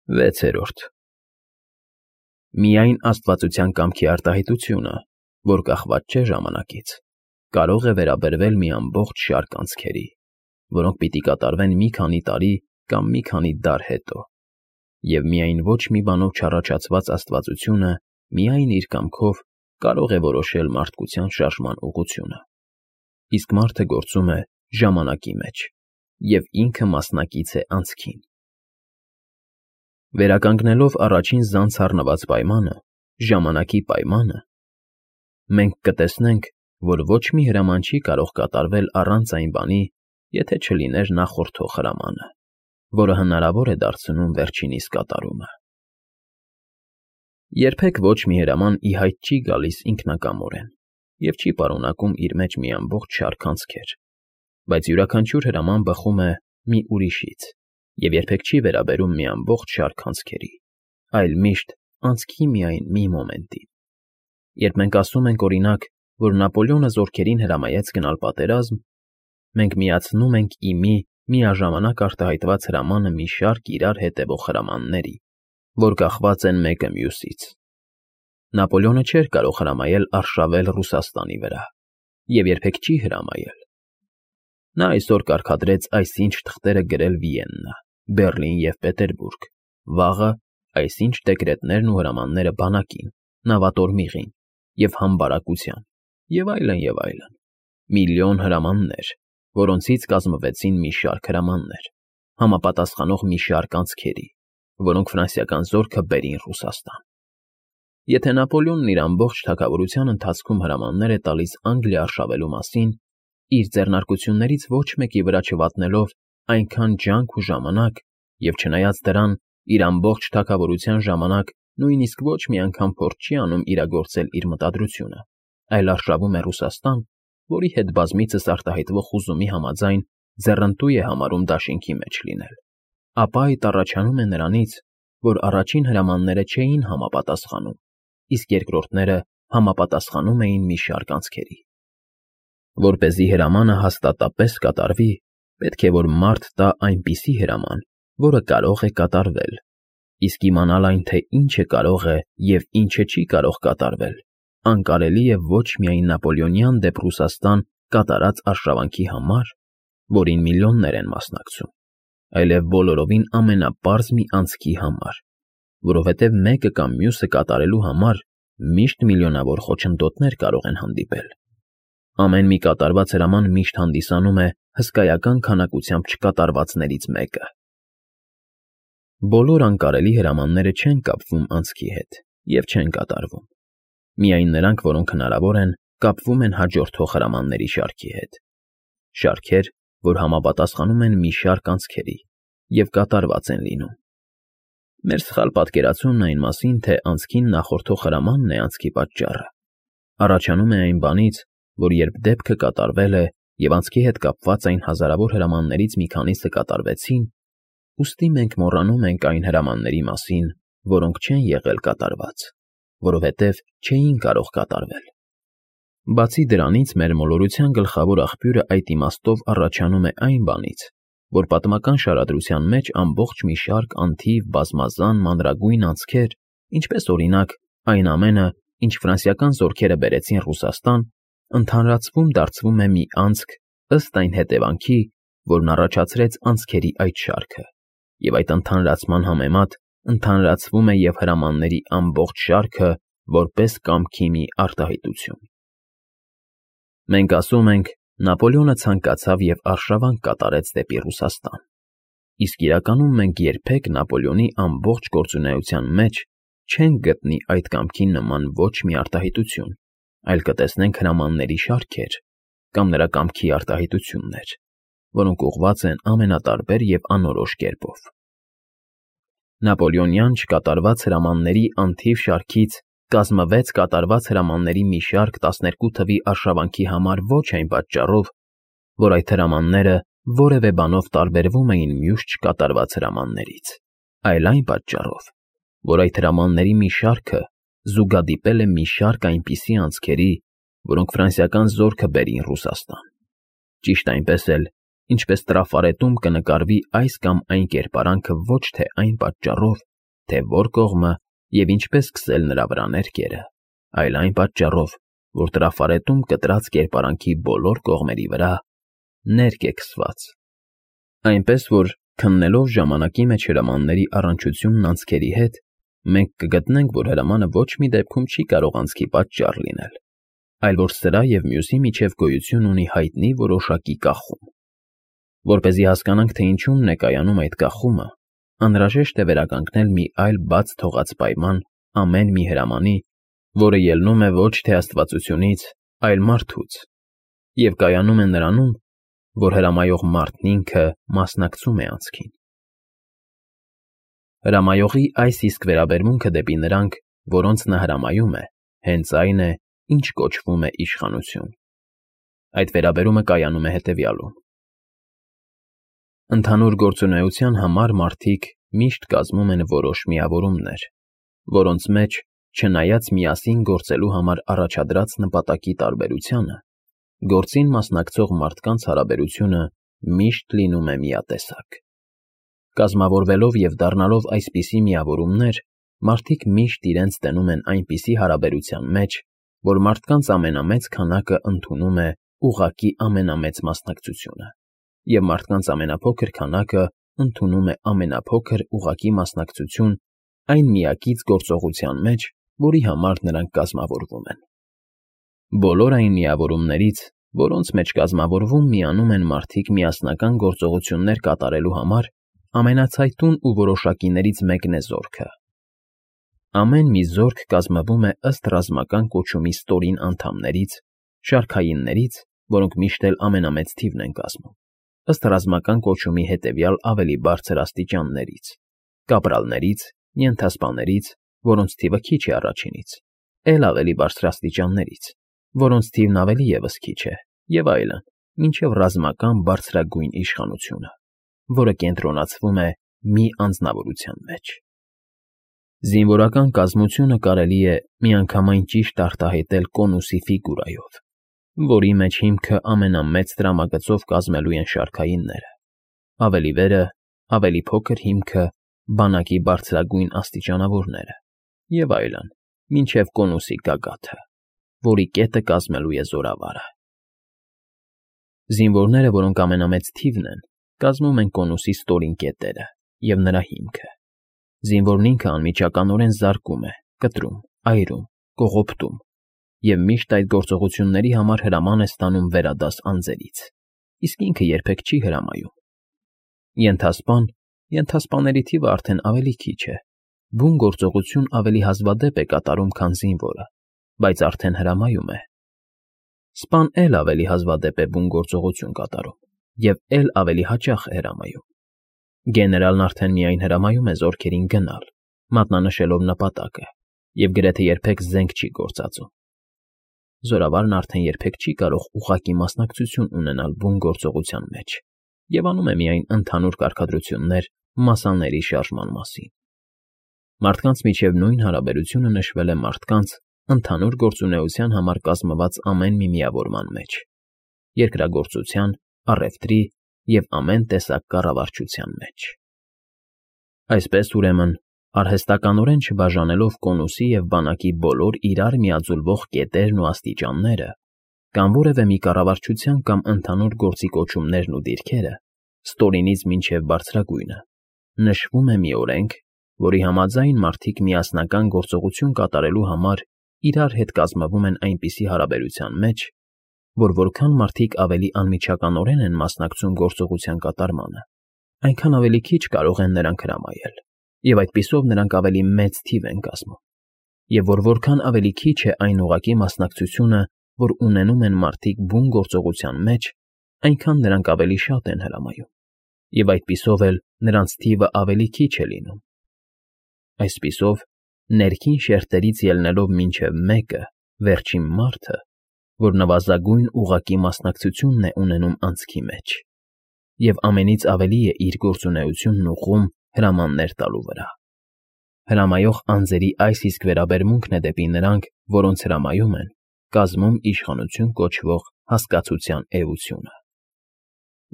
6-րդ Միայն աստվածության կամքի արտահայտությունը, որ կախված չէ ժամանակից, կարող է վերաբերվել մի ամբողջ շարք անցքերի, որոնք պիտի կատարվեն մի քանի տարի կամ մի քանի դար հետո, և միայն ոչ մի բանով չառաջացված աստվածությունը միայն իր կամքով կարող է որոշել մարդկության շարժման ուղղությունը, իսկ մարդը գործում է ժամանակի մեջ և ինքը մասնակից է անցքին։ Վերականգնելով առաջին զանց առնված պայմանը, ժամանակի պայմանը, մենք կտեսնենք, որ ոչ մի հրաման չի կարող կատարվել առանց այն բանի, եթե չլիներ նախորդող հրամանը, որը հնարավոր է դարձնում վերջինիս կատարումը։ Երբեք ոչ մի հրաման ի հայտ չի գալիս ինքնակամորեն և չի պարունակում իր մեջ մի ամբողջ շարք անցքեր, բայց յուրաքանչյուր հրաման բխում է մի ուրիշից և երբեք չի վերաբերում մի ամբողջ շարք անցքերի, այլ միշտ անցքի միայն մի մոմենտին։ Երբ մենք ասում ենք, օրինակ, որ Նապոլեոնը զորքերին հրամայեց գնալ պատերազմ, մենք միացնում ենք ի մի միաժամանակ արտահայտված հրամանը մի շարք իրար հետևող հրամանների, որ կախված են մեկը մյուսից։ Նապոլեոնը չէր կարող հրամայել արշավել Ռուսաստանի վրա և երբեք չի հրամայել։ Նա այսօր կարգադրեց այսինչ թղթերը գրել Վիեննա, Բեռլին և Պետերբուրգ, վաղը այսինչ դեկրետներն ու հրամանները բանակին, նավատորմիղին և համբարակության, և այլն, և այլն, միլիոն հրամաններ, որոնցից կազմվեցին մի շարք հրամաններ, համապատասխանող մի շարք անցքերի, որոնք ֆրանսիական զորքը բերին Ռուսաստան։ Եթե Նապոլեոնն իր ամբողջ թագավորության ընթացքում հրամաններ է տալիս Անգլիա արշավելու մասին, իր ձեռնարկություններից ոչ մեկի վրա չվատնելով այնքան ջանք ու ժամանակ, և չնայած դրան, իր ամբողջ թագավորության ժամանակ նույնիսկ ոչ մի անգամ փորձ չի անում իրագործել իր մտադրությունը, այլ արշավում է Ռուսաստան, որի հետ բազմիցս արտահայտվող հուզումի համաձայն ձեռնտու է համարում դաշինքի մեջ լինել, ապա այդ առաջանում է նրանից, որ առաջին հրամանները չէին համապատասխանում, իսկ երկրորդները համապատասխանում էին մի շարք անցքերի։ Որպեսզի հրամանը հաստատապես կատարվի, պետք է որ մարդ տա այնպիսի հրաման, որը կարող է կատարվել, իսկ իմանալ այն, թե ինչը կարող է և ինչը չի կարող կատարվել, անկարելի է ոչ միայն Նապոլեոնյան դեպ Ռուսաստան կատարած արշավանքի համար, որին միլիոններ են մասնակցում, այլև բոլորովին ամենապարզ մի անցքի համար, որովհետև մեկը կամ մյուսը կատարելու համար միշտ միլիոնավոր խոչընդոտներ կարող են հանդիպել։ Ամեն մի կատարված հրաման միշտ հանդիսանում է հսկայական քանակությամբ չկատարվածներից մեկը։ Բոլոր անկարելի հրամանները չեն կապվում անցքի հետ և չեն կատարվում։ Միայն նրանք, որոնք հնարավոր են, կապվում են հաջորդող հրամանների շարքի հետ։ Շարքեր, որ համապատասխանում են մի շարք անցքերի և կատարված են լինում։ Մեր սխալ պատկերացումն այն մասին, թե անցքին նախորդող հրամանն է անցքի պատճառը, առաջանում է այն բանից, որ երբ դեպքը կատարվել է և անցքի հետ կապված այն հազարավոր հրամաններից մի քանիսը կատարվեցին, ուստի մենք մոռանում ենք այն հրամանների մասին, որոնք չեն եղել կատարված, որովհետև չէին կարող կատարվել։ Բացի դրանից, մեր մոլորության գլխավոր աղբյուրը այդ իմաստով առաջանում է այն բանից, որ պատմական շարադրության մեջ ամբողջ մի շարք անթիվ բազմազան մանրագույն անցքեր, ինչպես օրինակ այն ամենը, ինչ ֆրանսիական զորքերը բերեցին Ռուսաստան, ընդհանրացվում դարձվում է մի անցք ըստ այն հետևանքի, որն առաջացրեց անցքերի այդ շարքը, և այդ ընդհանրացման համեմատ ընդհանրացվում է և հրամանների ամբողջ շարքը որպես կամքի մի արտահայտություն։ Մենք ասում ենք. Նապոլեոնը ցանկացավ և արշավանք կատարեց դեպի Ռուսաստան, իսկ իրականում մենք երբեք Նապոլեոնի ամբողջ գործունեության մեջ չենք գտնի այդ կամքի նման ոչ մի արտահայտություն, այլ կտեսնենք հրամանների շարքեր կամ նրա կամքի արտահայտություններ, որոնք ուղղված են ամենատարբեր և անորոշ կերպով։ Նապոլեոնյան չկատարված հրամանների անթիվ շարքից կազմվեց կատարված հրամանների մի շարք 12 թվի արշավանքի համար ոչ այն պատճառով, որ այդ հրամանները որևէ բանով տարբերվում էին մյուս չկատարված հրամաններից, այլ այն պատճառով, որ այդ հրամանների մի շարքը զուգադիպել է մի շարք այնպիսի անցքերի, որոնք ֆրանսիական զորքը բերին Ռուսաստան։ Ճիշտ այնպես էլ, ինչպես տրաֆարետում կնկարվի այս կամ այն կերպարանքը ոչ թե այն պատճառով, թե որ կողմը և ինչպես սկսել նրա վրա ներկերը, այլ այն պատճառով, որ տրաֆարետում կտրած կերպարանքի բոլոր կողմերի վրա ներկ է քսված։ Այնպես որ, քննելով ժամանակի մեջ հրամանների առնչությունն անցքերի հետ, մենք կգտնենք, որ հրամանը ոչ մի դեպքում չի կարող անցքի պատճառ լինել, այլ որ սրա և մյուսի միջև գոյություն ունի հայտնի որոշակի կախում։ Որպեսզի հասկանանք, թե ինչումն է կայանում այդ կախումը, անհրաժեշտ է վերականգնել մի այլ բաց թողած պայման ամեն մի հրամանի, որը ելնում է ոչ թե աստվածությունից, այլ մարդուց, և կայանում է նրանում, որ հրամայող մարդն ինքը մասնակցում է անցքին։ Հրամայողի այս իսկ վերաբերմունքը դեպի նրանք, որոնց նա հրամայում է, հենց այն է, ինչ կոչվում է իշխանություն։ Այդ վերաբերումը կայանում է հետևյալում. Ընդհանուր գործունեության համար մարդիկ միշտ կազմում են որոշ միավորումներ, որոնց մեջ, չնայած միասին գործելու համար առաջադրած նպատակի տարբերությանը, գործին մասնակցող մարդկանց հարաբերությունը միշտ լինում է միատեսակ։ Կազմավորվելով և դառնալով այսպիսի միավորումներ, մարդիկ միշտ իրենց տենում են այնպիսի հարաբերության մեջ, որ մարդկանց ամենամեծ քանակը ընդունում է ուղղակի ամենամեծ մասնակցությունը, և մարդկանց ամենափոքր քանակը ընդունում է ամենափոքր ուղղակի մասնակցություն այն միակից գործողության մեջ, որի համար նրանք կազմավորվում են։ Բոլոր այն միավորումներից, որոնց մեջ կազմավորվում միանում են մարդիկ միասնական գործողություններ կատարելու համար, ամենացայտուն ու որոշակիներից մեկն է զորքը։ Ամեն մի զորք կազմվում է ըստ ռազմական կոչումի ստորին անդամներից, շարքայիններից, որոնք միշտ էլ ամենամեծ թիվն են կազմում, ըստ ռազմական կոչումի հետևյալ ավելի բարձր աստիճաններից՝ կապրալներից, ենթասպաներից, որոնց թիվը քիչ է առաջինից, էլ ավելի բարձր աստիճաններից, որոնց թիվն ավելի ևս քիչ է, և այլն, մինչև ռազմական բարձրագույն իշխանությունը, որը կենտրոնացվում է մի անձնավորության մեջ։ Զինվորական կազմությունը կարելի է միանգամայն ճիշտ արտահայտել կոնուսի ֆիգուրայով, որի մեջ հիմքը ամենամեծ տրամագծով կազմելու են շարքայինները, ավելի վերը, ավելի փոքր հիմքը բանակի բարձրագույն աստիճանավորները, և այլն, մինչև կոնուսի գագաթը, որի կետը կազմելու է զորավարը։ Զինվորները, որոնք ամենամեծ թիվն են, կազմում են կոնուսի ստորին կետերը և նրա հիմքը։ Զինվորն ինքը անմիջականորեն զարկում է, կտրում, այրում, կողոպտում և միշտ այդ գործողությունների համար հրաման է ստանում վերադաս անձերից, իսկ ինքը երբեք չի հրամայում։ Ենթասպաների թիվը արդեն ավելի քիչ է, բուն գործողություն ավելի հազվադեպ է կատարում, քան զինվորը, բայց արդեն հրամայում է։ Սպան էլ ավելի հազվադեպ է բուն գործողություն կատարում և էլ ավելի հաճախ է հրամայում։ Գեներալն արդեն միայն հրամայում է զորքերին գնալ, մատնանշելով նպատակը, և գրեթե երբեք զենք չի գործածում։ Զորավարն արդեն երբեք չի կարող ուղղակի մասնակցություն ունենալ բուն գործողության մեջ և անում է միայն ընդհանուր կարգադրություններ մասաների շարժման մասին։ Մարդկանց միջև նույն հարաբերությունը նշվել է մարդկանց ընդհանուր գործունեության համար կազմված ամեն մի միավորման մեջ՝ երկրագործության, առևտրի և ամեն տեսակ կառավարչության մեջ։ Այսպես, ուրեմն, արհեստականորեն չբաժանելով կոնուսի և բանակի բոլոր իրար միաձուլվող կետերն ու աստիճանները, կամ որևէ մի կառավարչության կամ ընդհանուր գործի կոչումներն ու դիրքերը, ստորինից մինչև բարձրագույնը, նշվում է մի օրենք, որի համաձայն մարդիկ միասնական գործողություն կատարելու համար իրար հետ կազմվում են այնպիսի հարաբերության մեջ, որ որքան մարդիկ ավելի անմիջականորեն են մասնակցում գործողության կատարմանը, այնքան ավելի քիչ կարող են նրանք հրամայել, և այդպիսով նրանք ավելի մեծ թիվ են կազմում, և որքան ավելի քիչ է այն ուղղակի մասնակցությունը, որ ունենում են մարդիկ բուն գործողության մեջ, այնքան նրանք ավելի շատ են հրամայում, և այդպիսով էլ նրանց թիվը ավելի քիչ է լինում։ Այսպիսով, ներքին շերտերից ելնելով մինչև մեկը, վերջին մարդը, որ նվազագույն ուղղակի մասնակցությունն է ունենում անցքի մեջ, և ամենից ավելի է իր գործունեությունն ուղղում հրամաններ տալու վրա։ Հրամայող անձերի այս իսկ վերաբերմունքն է դեպի նրանք, որոնց հրամայում են, կազմում իշխանություն կոչվող հասկացության էությունը։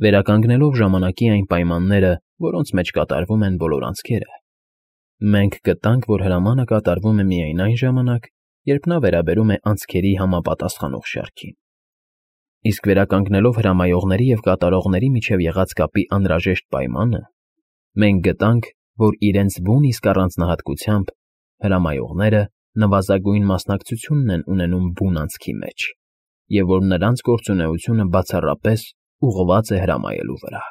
Վերականգնելով ժամանակի այն պայմանները, որոնց մեջ կատարվում են բոլոր անցքերը, Մենք գտանք, որ հրամանը կատարվում է միայն այն ժամանակ, երբ նա վերաբերում է անցքերի համապատասխանող շարքին։ Իսկ վերականգնելով հրամայողների և կատարողների միջև եղած կապի անհրաժեշտ պայմանը, մենք գտանք, որ իրենց բուն իսկ առանձնահատկությամբ հրամայողները նվազագույն մասնակցությունն են ունենում բուն անցքի մեջ, և որ նրանց գործունեությունը բացառապես ուղղված է հրամայելու վրա։